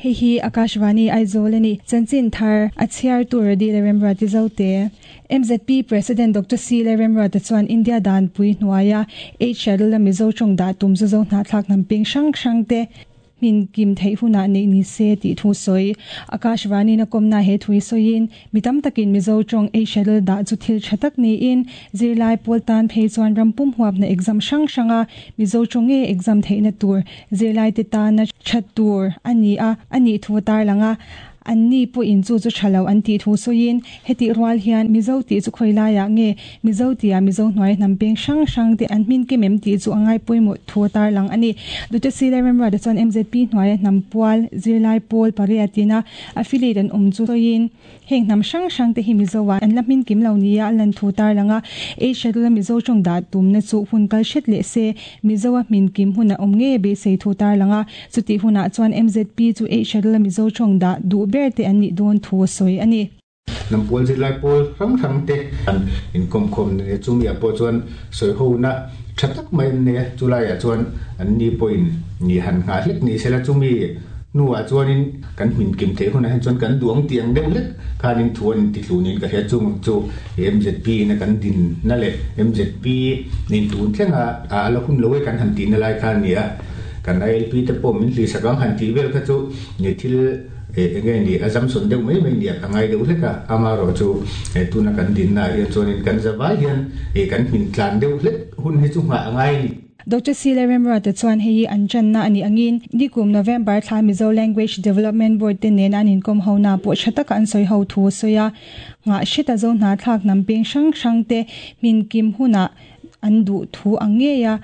Hei hi Akashvani Aizawl a ni. Chanchin thar a chhiartu Redi Lalremruati Zote. MZP President Doctor C Lalremruata chuan India danpui hnuaia Eight Schedule-a Mizo tawng dah tum zu zo hnahthlak hnam peng hrang hrang te hmin kim theih hunah neih ni se tih thu sawi. Akashvani-in a kawmna he thu hi sawiin, Mi tam takin Mizo tawng Eight Schedule dah chu thil tha tak niin, zirlai pawl tan phei chuan ram pum huapna exam hrang hranga Mizo tawng nge exam theihna tur zirlaite tana tha tur a ni a, a nih thu a tarlang a. Anni pawhin chu chu tha lo an tih thu sawiin, hetih rual hian Mizo tih chu khawi laiah nge Mizo tia Mizo hnuai hnam peng hrang hrang te an hmin kem em tih chu a ngai pawimawh thu a tarlang a ni. Dute Sile Remruata chuan MZP hnuaia hnam pual zirlai pawl pariat ina Affiliate an awm chu sawiin, heng hnam hrang hrang te hi Mizo ah an la hmin kim lo nia a lan thu tarlang a, ei schedule a Mizo tawng dah tumna chu hun kal hret leh se, Mizo a hmin kim hun a awm ngei beisei thu tarlang a, chutih hunah chuan MZP chu ei schedule a Mizo tawng dah duh ber te an nih dawn thu a sawi a ni. Hnam pual zirlai pawl hrang hrang te an inkawmkhawm nia, chumi ah pawh chuan sawihona tha tak mai an nei a, chulaiah chuan an ni pawhin ni han nghah hlek ni sela, chumi hnuah chuanin kan hmin kim theih hunah hian chuan kan duang tih ang deuh hlek khanin thu an inti tlu niin ka hria, chung chu MZP ina kan dinna leh MZP in tun thlenga a la hun lo e kan han tihna lai kha a ni a, kan ILP te pawh min hlihsak ang han tih vel kha chu ni thil Eng nge ni a zamsawn deuh mai mai nia ka ngai deuh hlek a, amarawh chu tuna kan dinna ah hian chuanin kan zavai hian kan hmin tlan deuh hlek hun hi chu nghah a ngai a ni. Doctor Sile Remruata chuan hei hi an channa a nih angin nikum November thla Mizo Language Development Board te nena an inkawm ho na pawh tha taka an sawi ho thu a sawi a, nghah hreta zo hna thlak hnam peng hrang hrang te hmin kim hunah an duh thu ang ngei a,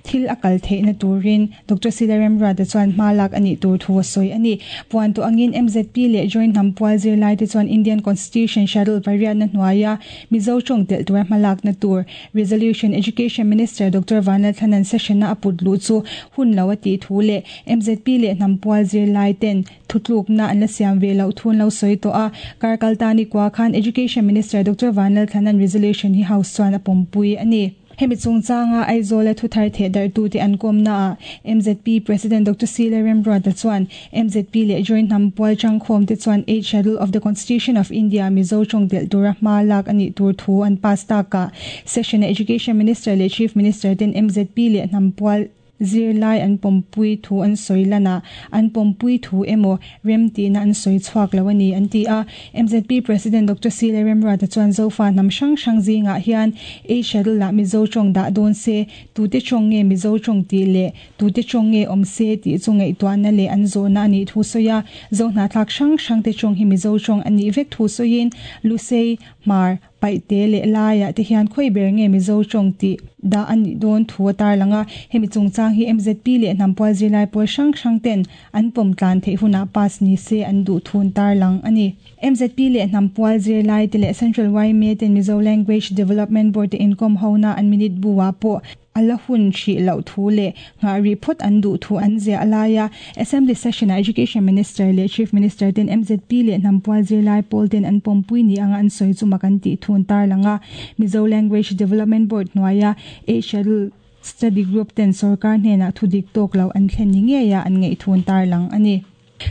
thil a kal theihna turin Doctor Sila Remruata chuan hma lak a nih tur thu a sawi a ni. Puan tawh angin MZP leh Joint Hnam Pual zirlaite chuan Indian Constitution Schedule pariatna hnuaia Mizo tawng telh tura hma lakna tur Resolution Education Minister Doctor Vanlalthlanan session-a a put luh chu hun lo a tih thu leh MZP leh Hnam Pual zirlaiten Thutlukna an la siam ve loh thu an lo sawi tawh a, kar kal ta ni kua khan Education Minister Doctor Vanlalthlanan resolution hi House chuan a pawmpui a ni. Hemi chungchanga Aizawla thuthar theh darhtute an kawmnaah MZP President Doctor Sile Remruata chuan MZP leh Joint Hnam Pual Changkhawmte chuan Eighth Schedule of the Constitution of India Mizo tawng delh tura hma lak a nih tur thu an pass takah Session-a Education Minister leh Chief Minister ten MZP leh Hnam Pual Zirlai an pawmpui thu an sawi lan a, an pawmpui thu emaw rem tihna an sawi chhuak lo a ni, an ti a. MZP President Doctor Sile Remruata chuan Zofa hnam hrang hrang zingah hian ei schedule ah Mizo tawng dah dawn se, tute tawng nge Mizo tawng tih leh tute tawng nge awm se tih chu ngaihtuahna leh an zawhna a nih thu sawi a. Zo hnahthlak hrang hrangte tawng hi Mizo tawng a nih vek thu sawiin Lusei, Hmar, Paihte leh laiah te hian khawi ber nge Mizo tawng tih dah a nih dawn thu a tarlang a, hemi chungchang hi MZP leh hnampual zirlai pawl hrang hrang ten an pawm tlan theih hunah pass ni se an duh thu an tarlang a ni. MZP leh hnampual zirlai te leh Central yma ten Mizo Language Development Board te inkawm hona an minute bu ah pawh A la hun hrih loh thu leh nghah rih phawt an duh thu an ziah lai a, Assembly Session-ah Education Minister leh Chief Minister ten MZP leh hnampual zirlai pawl ten an pawmpui ni anga an sawi chu mak an tih thu an tarlang a. Mizo Language Development Board hnuaia Eight Schedule Study Group ten sorkar hnenah thu dik tawk lo an thlen ni ngeia an ngaih thu an tarlang a ni.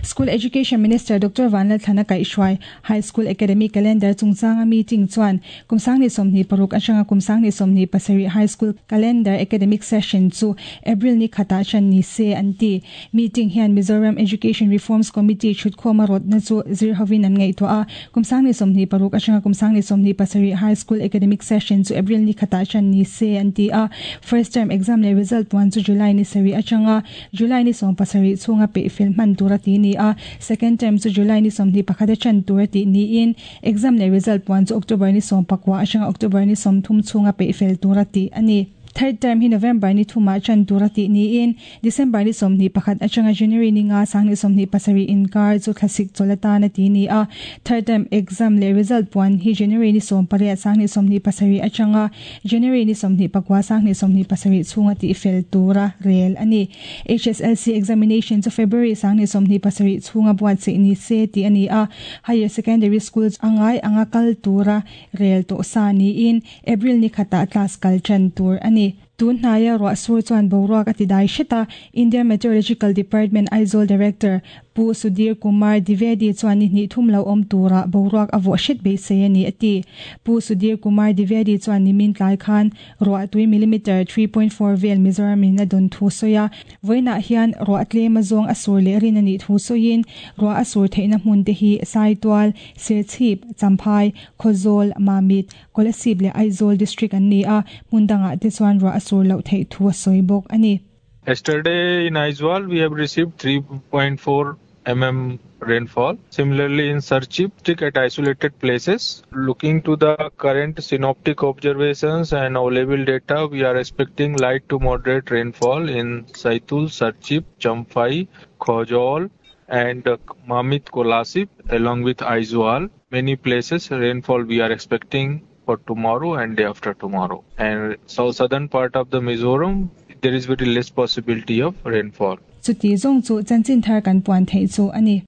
School Education Minister Doctor Vanlalthlana kaihhruai High School Academic Calendar chungchanga meeting chuan kum 2026 atanga kum 2027 High School Calendar Academic Session chu April ni khatah ṭan ni se an ti. Meeting hian Mizoram Education Reforms Committee ṭhutkhawma rawtna chu zir hovin an ngaihtuah a, kum 2026 atanga kum 2027 High School Academic Session chu April ni khatah ṭan ni se an ti a. First Term Exam leh Result puan chu July ni sarih atanga July ni 17 chhunga peih fel hman tur a ti ni a, second term chu July ni 21 a ṭan tur a tih niin exam leh result puan chu October ni 19 atanga October ni 30 chhunga peih fel tur a tih a ni. Third term hi November ni thumah ṭan tur a tih niin December ni 21 atanga January ni nga sang ni 27 inkar chu thlasik chawlh atan a ti ni a, third term exam leh result puan hi January ni 18 sang ni 27 atanga January ni 29 sang ni 27 chhunga tihfel tura rel a ni. HSLC examination chu February sang ni 27 chhunga buatsaih ni se tih a ni a, Higher Secondary School a ngai anga kal tura rel tawh sa niin April ni khatah class kal tan tur a ni. Tun hnaia ruah sur chuan boruak a ti dai hret a, Indian Meteorological Department Aizawl Director. Pu Sudhir Kumar Dwivedi chuan ni hnih thum lo awm turah boruak a vawh hret beisei a ni a ti. Pu Sudhir Kumar Dwivedi chuan nimin tlai khan ruahtui millimeter 3.4 vel Mizoram in a dawn thu sawi a, vawiinah hian ruah tlem azawng a sur leh rin a nih thu sawiin ruah a sur theihna hmun te hi Saitual, Serchhip, Champhai, Khawzawl, Mamit, Kolasib leh Aizawl District an ni a, hmun dangah te chuan ruah a sur loh theih thu a sawi bawk a ni. Yesterday in Aizawl we have received 3.4 rainfall. Similarly in Serchhip, at isolated places. Looking to the current synoptic observations and available data, we are expecting light to moderate rainfall in Saitul, Serchhip, Champhai, Khawzawl and Mamit Kolasib along with Aizawl. Many places rainfall we are expecting for tomorrow and day after tomorrow. And south southern part of the Mizoram, there is very less possibility of rainfall. Chuti zawng chu chanchin thar kan puan theih chu a ni.